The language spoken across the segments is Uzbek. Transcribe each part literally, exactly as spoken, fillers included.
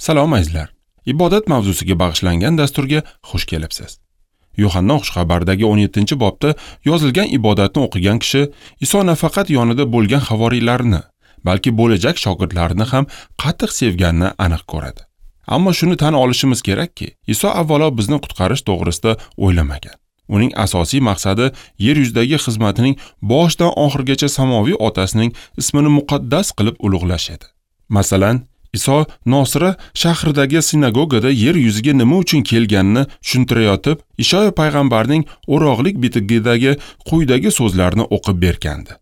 Salom azizlar. Ibodat mavzusiga bag'ishlangan dasturga xush kelibsiz. Yuhanna xushxabaridagi o'n yettinchi bobda yozilgan ibodatni o'qigan kishi Iso nafaqat yonida bo'lgan havoriylarini, balki bo'lajak shogirdlarini ham qattiq sevganini aniq ko'radi. Ammo shuni tan olishimiz kerakki, Iso avvalo bizni qutqarish to'g'risida o'ylamagan. Uning asosiy maqsadi yer yuzidagi xizmatining boshidan oxirigacha samoviy otasining ismini muqaddas qilib ulug'lash edi. Masalan, Iso Nosira shahridagi sinagogada yer yuziga nima uchun kelganini tushuntirayotib, Ishoya payg'ambarning o'roqlik bitigidagi quyidagi so'zlarni o'qib bergandi.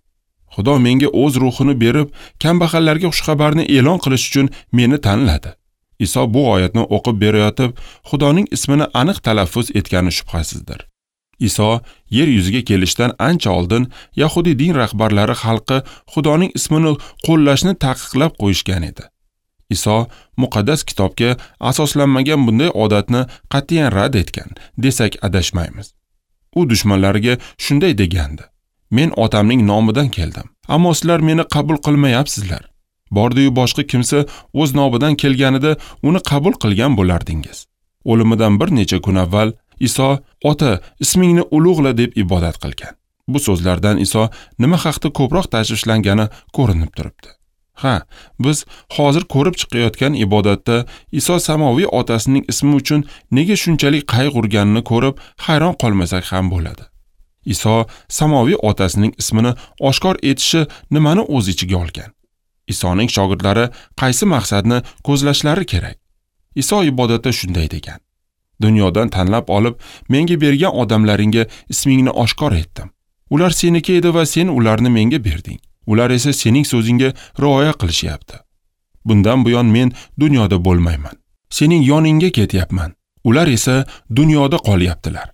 Xudo menga o'z ruhini berib, kambag'allarga xushxabarni e'lon qilish uchun meni tanladi. Iso bu oyatni o'qib berayotib, Xudoning ismini aniq talaffuz etgani shubhasizdir. Iso yer yuziga kelishdan ancha oldin Yahudi din rahbarlari xalqi Xudoning ismini qo'llashni taqiqlab qo'yishgan edi. Iso muqaddas kitobga asoslanmagan bunday odatni qat'iyan rad etgan desak adashmaymiz. U dushmanlariga shunday degandi: Men otamning nomidan keldim, ammo sizlar meni qabul qilmayapsizlar. Bordi-yu boshqa kimsa o'z nomidan kelganida uni qabul qilgan bo'lardingiz. O'limidan bir necha kun avval Iso "Ota, ismingni ulug'la" deb ibodat qilgan. Bu so'zlardan Iso nima haqda ko'proq tashvishlangani ko'rinib turibdi. Ha, biz hozir ko'rib chiqayotgan ibodatda Iso samoviy otasining ismi uchun nega shunchalik qayg'urganini ko'rib hayron qolmasak ham bo'ladi. Iso samoviy otasining ismini oshkor etishi nimani o'z ichiga olgan? Isoning shogirdlari qaysi maqsadni ko'zlashlari kerak? Iso ibodatda shunday degan: Dunyodan tanlab olib, menga bergan odamlaringga ismingni oshkor etdim. Ular seniki edi va sen ularni menga berding. Ular esa sening so'zingga rioya qilishyapti. Bundan buyon men dunyoda bo'lmayman. Sening yoningga ketyapman. Ular esa dunyoda qolyaptilar.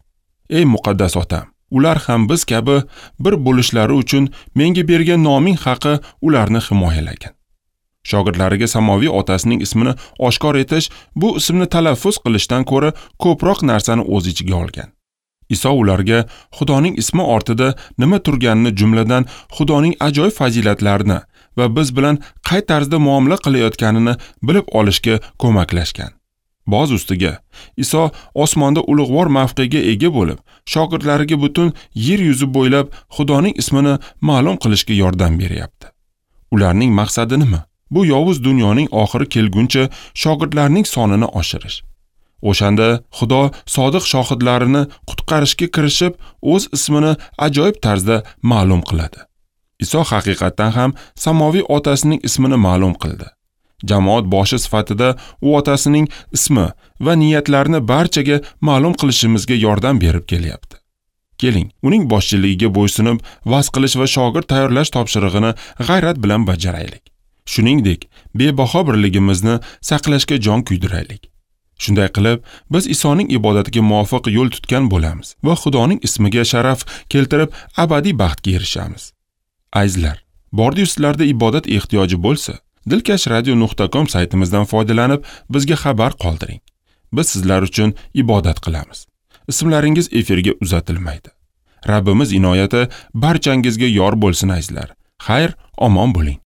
Ey muqaddas otam, ular ham biz kabi bir bo'lishlari uchun menga bergan noming haqi ularni himoyalagin. Shogirdlariga samoviy otasining ismini oshkor etish bu ismni talaffuz qilishdan ko'ra ko'proq narsani o'z ichiga olgan. Iso ularga Xudoning ismi ortida nima turganini, jumladan Xudoning ajoyib fazilatlarini va biz bilan qay tarzda muomala qilayotganini bilib olishga ko'maklashgan. Boz ustiga, Iso osmonda ulug'vor mavqega ega bo'lib, shogirdlariga butun yer yuzi bo'ylab Xudoning ismini ma'lum qilishga yordam beryapti. Ularning maqsadi nima? Bu yovuz dunyoning oxiri kelguncha shogirdlarning sonini oshirish. O'shanda Xudo sodiq shohidlarini qutqarishga kirishib, o'z ismini ajoyib tarzda ma'lum qiladi. Iso haqiqatdan ham samoviy otasining ismini ma'lum qildi. Jamoat boshi sifatida u otasining ismi va niyatlarini barchaga ma'lum qilishimizga yordam berib kelyapti. Keling, uning boshchiligiga bo'ysunib, va'z qilish va shogird tayyorlash topshirig'ini g'ayrat bilan bajaraylik. Shuningdek, bebaho birligimizni saqlashga jon kuydiraylik. Shunday qilib, biz Isoning ibodatiga muvofiq yo'l tutgan bo'lamiz va Xudoning ismiga sharaf keltirib, abadiy baxtga erishamiz. Azizlar, bordi-yu sizlarda ibodat ehtiyoji bo'lsa, dilkash radio nuqta com saytimizdan foydalanib, bizga xabar qoldiring. Biz sizlar uchun ibodat qilamiz. Ismlaringiz efirga uzatilmaydi. Rabbimiz inoyati barchangizga yor bo'lsin azizlar. Xayr, omon bo'ling.